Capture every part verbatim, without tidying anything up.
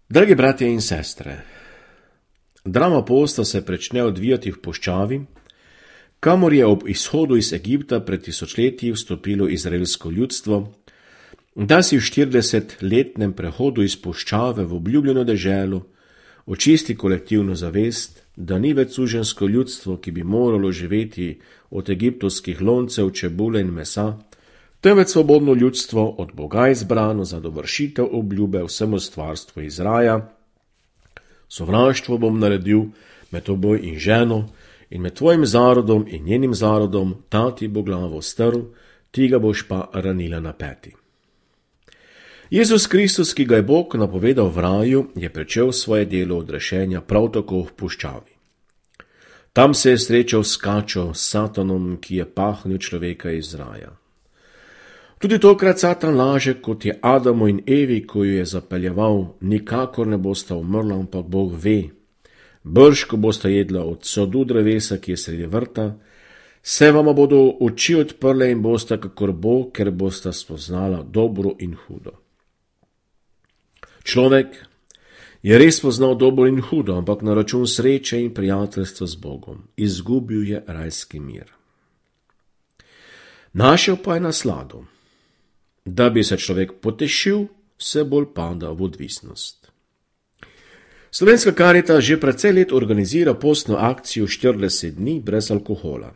Dragi bratje in sestre, drama posta se prične odvijati v puščavi, kamor je ob izhodu iz Egipta pred tisočletji vstopilo izraelsko ljudstvo, da si v štiridesetletnem prehodu iz puščave v obljubljeno deželo očisti kolektivno zavest, da ni več suženjsko ljudstvo, ki bi moralo živeti od egiptovskih loncev, čebule in mesa, temveč svobodno ljudstvo od Boga izbrano za dovršitev obljube vsemu stvarstvu iz raja. Sovraštvo bom naredil med toboj in ženo in med tvojim zarodom in njenim zarodom, ta ti bo glavo strl, ti ga boš pa ranila na peti. Jezus Kristus, ki ga je Bog napovedal v raju, je pričel svoje delo odrešenja prav tako v puščavi. Tam se je srečal s kačo, s Satanom, ki je pahnil človeka iz raja. Tudi tokrat Satan laže, kot je Adamu in Evi, ko jo je zapeljeval, nikakor ne bosta umrla, ampak Bog ve. Brž, ko bosta jedla od sodu drevesa, ki je sredi vrta, se vama bodo oči odprle in bosta kakor Bog, ker bosta spoznala dobro in hudo. Človek je res poznal dobro in hudo, ampak na račun sreče in prijateljstva z Bogom. Izgubil je rajski mir. Našel pa je naslado. Da bi se človek potešil, vse bolj pada v odvisnost. Slovenska Karita že precej let organizira postno akcijo štirideset dni brez alkohola.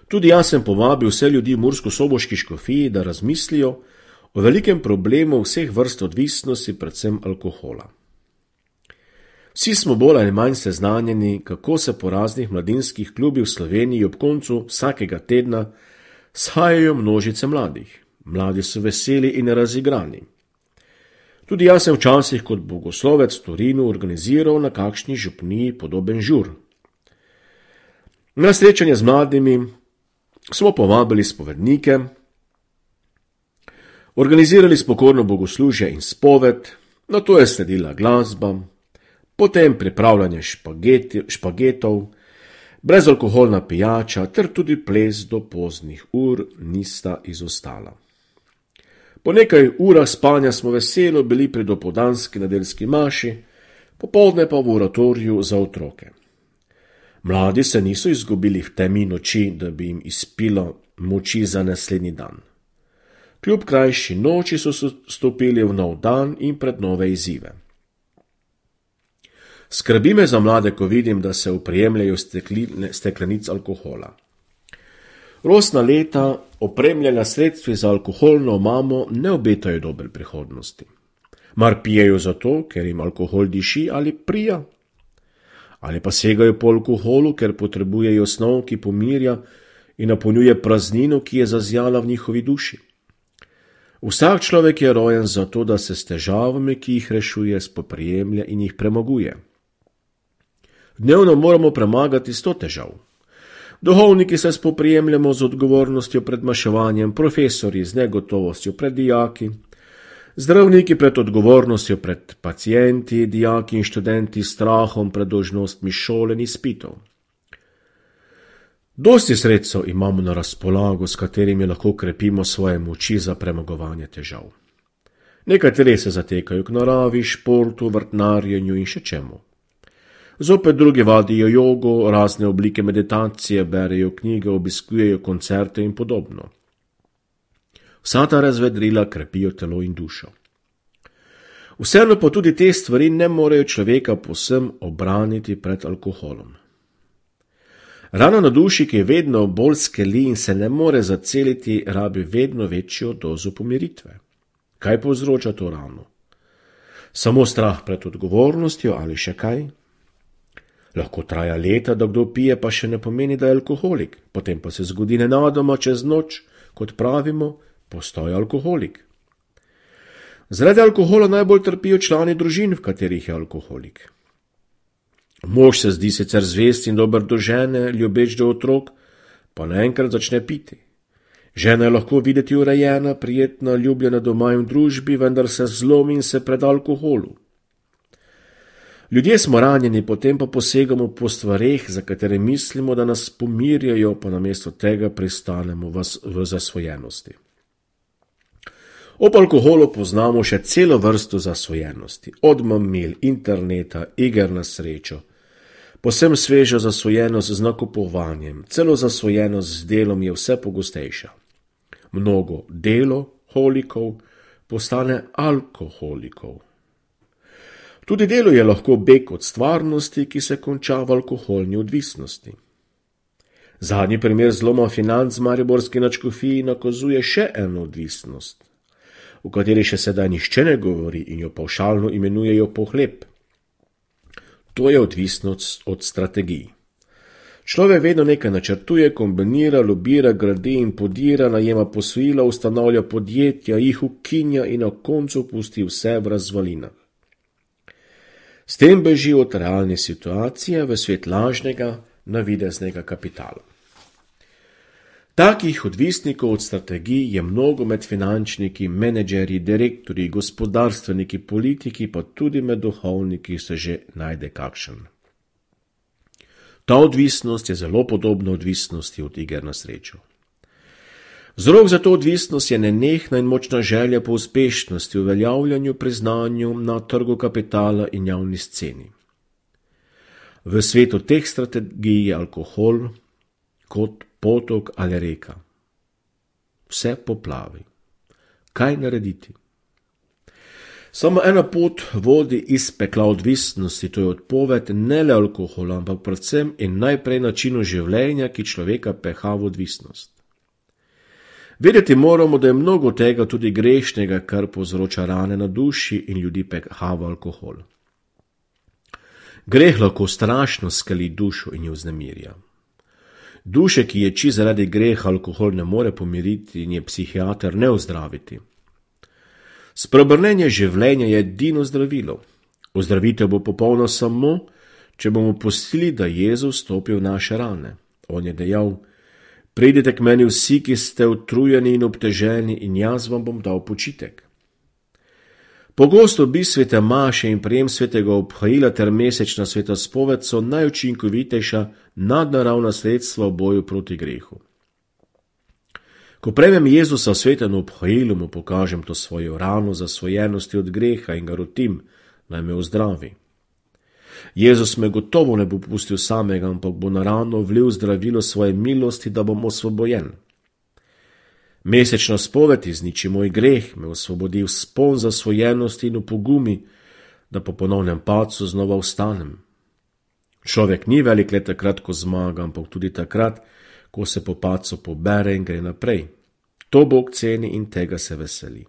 Tudi jaz sem povabil vse ljudi v murskosoboški škofiji, da razmislijo o velikem problemu vseh vrst odvisnosti, predvsem alkohola. Vsi smo bolj ali manj seznanjeni, kako se po raznih mladinskih klubih v Sloveniji ob koncu vsakega tedna shajajo množice mladih. Mladi so veseli in razigrani. Tudi jaz sem včasih kot bogoslovec v Torinu organiziral na kakšni župniji podoben žur. Na srečanje z mladimi smo povabili spovednike, organizirali spokorno bogoslužje in spoved, nato je sledila glasba, potem pripravljanje špageti, špagetov, brezalkoholna pijača ter tudi ples do poznih ur nista izostala. Po nekaj urah spanja smo veselo bili pri dopoldanski nedeljski maši, popoldne pa v oratoriju za otroke. Mladi se niso izgubili v temi noči, da bi jim izpilo moči za naslednji dan. Kljub krajši noči so stopili v nov dan in pred nove izzive. Skrbi me za mlade, ko vidim, da se oprijemljajo steklenic alkohola. Rosna leta, opremljena sredstvi za alkoholno omamo, ne obetajo dobre prihodnosti. Mar pijejo zato, ker jim alkohol diši ali prija? Ali pa segajo po alkoholu, ker potrebujejo snov, ki pomirja in napolnjuje praznino, ki je zazjala v njihovi duši? Vsak človek je rojen zato, da se s težavami, ki jih rešuje, spoprijemlja in jih premaguje. Dnevno moramo premagati sto težav. Duhovniki se spoprijemljamo z odgovornostjo pred maševanjem, profesori z negotovostjo pred dijaki, zdravniki pred odgovornostjo pred pacienti, dijaki in študenti s strahom pred dolžnostmi šole in izpitov. Dosti sredstev imamo na razpolago, s katerimi lahko krepimo svoje moči za premagovanje težav. Nekateri se zatekajo k naravi, športu, vrtnarjenju in še čemu. Zopet drugi vadijo jogo, razne oblike meditacije, berejo knjige, obiskujejo koncerte in podobno. Vsa ta razvedrila krepijo telo in dušo. Vseeno pa tudi te stvari ne morejo človeka povsem obraniti pred alkoholom. Rana na duši, ki vedno bolj skeli in se ne more zaceliti, rabi vedno večjo dozo pomiritve. Kaj povzroča to rano? Samo strah pred odgovornostjo ali še kaj? Lahko traja leta, da kdo pije, pa še ne pomeni, da je alkoholik. Potem pa se zgodi nenadoma čez noč, kot pravimo, postaja alkoholik. Zaradi alkohola najbolj trpijo člani družin, v katerih je alkoholik. Mož se zdi sicer zvest in dober do žene, ljubeč do otrok, pa naenkrat začne piti. Žena je lahko videti urejena, prijetna, ljubljena doma in v družbi, vendar se zlomi in se preda alkoholu. Ljudje smo ranjeni, potem pa posegamo po stvareh, za katere mislimo, da nas pomirjajo, pa namesto tega pristanemo v zasvojenosti. Ob alkoholu poznamo še celo vrsto zasvojenosti, od mamil, interneta, iger na srečo. Posem sveža zasvojenost z nakupovanjem, celo zasvojenost z delom je vse pogostejša. Mnogo deloholikov postane alkoholikov. Tudi delo je lahko beg od stvarnosti, ki se konča v alkoholni odvisnosti. Zadnji primer zloma financ v mariborski nadškofiji nakazuje še eno odvisnost, o kateri še sedaj nihče ne govori in jo pavšalno imenujejo pohlep. To je odvisnost od strategij. Človek vedno nekaj načrtuje, kombinira, lobira, gradi in podira, najema posojila, ustanavlja podjetja, jih ukinja in na koncu pusti vse v razvalinah. S tem beži od realne situacije v svet lažnega, navideznega kapitala. Takih odvisnikov od strategij je mnogo med finančniki, menedžerji, direktorji, gospodarstveniki, politiki, pa tudi med duhovniki se že najde kakšen. Ta odvisnost je zelo podobna odvisnosti od iger na srečo. Vzrok za to odvisnost je nenehna in močna želja po uspešnosti, uveljavljanju, priznanju na trgu kapitala in javni sceni. V svetu teh strategij je alkohol kot potok ali reka. Vse poplavi. Kaj narediti? Samo ena pot vodi iz pekla odvisnosti, to je odpoved ne le alkohola, ampak predvsem in najprej načinu življenja, ki človeka peha v odvisnost. Vedeti moramo, da je mnogo tega tudi grešnega, kar povzroča rane na duši in ljudi peha v alkohol. Greh lahko strašno skali dušo in jo vznemirja. Duše, ki ječi zaradi greha, alkohol ne more pomiriti in je psihiater ne ozdraviti. Spreobrnenje življenja je edino zdravilo. Ozdravitev bo popolna samo, če bomo pustili, da Jezus stopi v naše rane. On je dejal: pridite k meni vsi, ki ste utrujeni in obteženi, in jaz vam bom dal počitek. Pogosto obisk svete maše in prijem svetega obhajila ter mesečna sveta spoved so najučinkovitejša nadnaravna sredstva v boju proti grehu. Ko prejmem Jezusa v svetem obhajilu, mu pokažem to svojo rano zasvojenosti od greha in ga rotim, naj me ozdravi. Jezus me gotovo ne bo pustil samega, ampak bo na rano vlil zdravilo svoje milosti, da bom osvobojen. Mesečna spoved izniči moj greh, me osvobodi v spon zasvojenosti in v pogumi, da po ponovnem padcu znova vstanem. Človek ni velik le takrat, ko zmaga, ampak tudi takrat, ko se po padcu pobere in gre naprej. To Bog ceni in tega se veseli.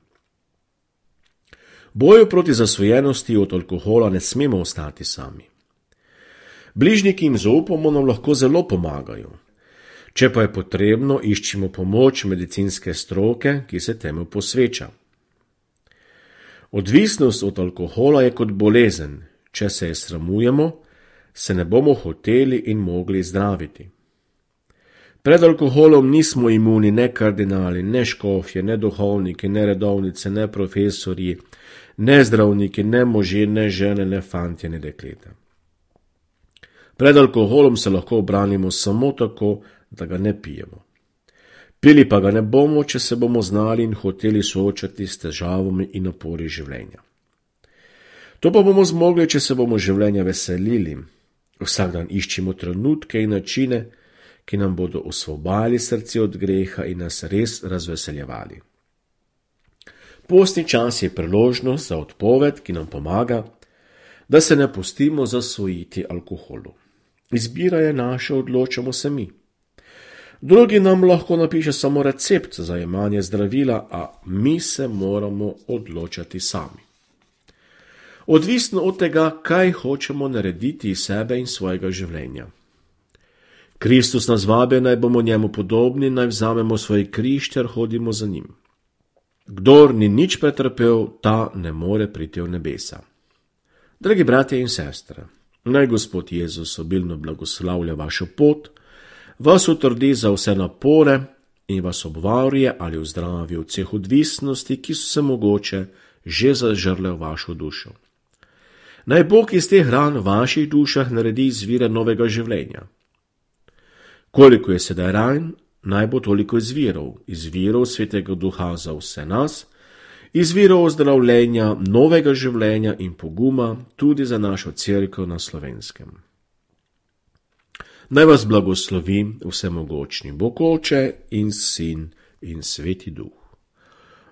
Boju proti zasvojenosti od alkohola ne smemo ostati sami. Bližnji, ki jim zaupamo, nam lahko zelo pomagajo. Če pa je potrebno, iščimo pomoč medicinske stroke, ki se temu posveča. Odvisnost od alkohola je kot bolezen. Če se je sramujemo, se ne bomo hoteli in mogli zdraviti. Pred alkoholom nismo imuni ne kardinali, ne škofje, ne duhovniki, ne redovnice, ne profesorji, ne zdravniki, ne možje, ne žene, ne fantje, ne dekleta. Pred alkoholom se lahko obranimo samo tako, da ga ne pijemo. Pili pa ga ne bomo, če se bomo znali in hoteli soočati s težavami in napori življenja. To pa bomo zmogli, če se bomo življenja veselili. Vsak dan iščimo trenutke in načine, ki nam bodo osvobodili srce od greha in nas res razveseljevali. Postni čas je priložnost za odpoved, ki nam pomaga, da se ne pustimo zasvojiti alkoholu. Izbira je naša, odločamo se mi. Drugi nam lahko napiše samo recept za jemanje zdravila, a mi se moramo odločati sami. Odvisno od tega, kaj hočemo narediti iz sebe in svojega življenja. Kristus nas vabi, naj bomo njemu podobni, naj vzamemo svoj križ ter hodimo za njim. Kdor ni nič pretrpel, ta ne more priti v nebesa. Dragi bratje in sestre, naj Gospod Jezus obilno blagoslavlja vašo pot, vas utrdi za vse napore in vas obvaruje ali vzdravi od vseh odvisnosti, ki so se mogoče že zažrle v vašo dušo. Naj Bog iz teh ran v vaših dušah naredi izvire novega življenja. Koliko je sedaj ran, naj bo toliko izvirov, izvirov Svetega Duha za vse nas izvirov ozdravljenja, novega življenja in poguma tudi za našo cerkev na Slovenskem. Naj vas blagoslovi vsemogočni Bog Oče in Sin in Sveti Duh.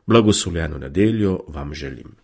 Blagoslovljeno nedeljo vam želim.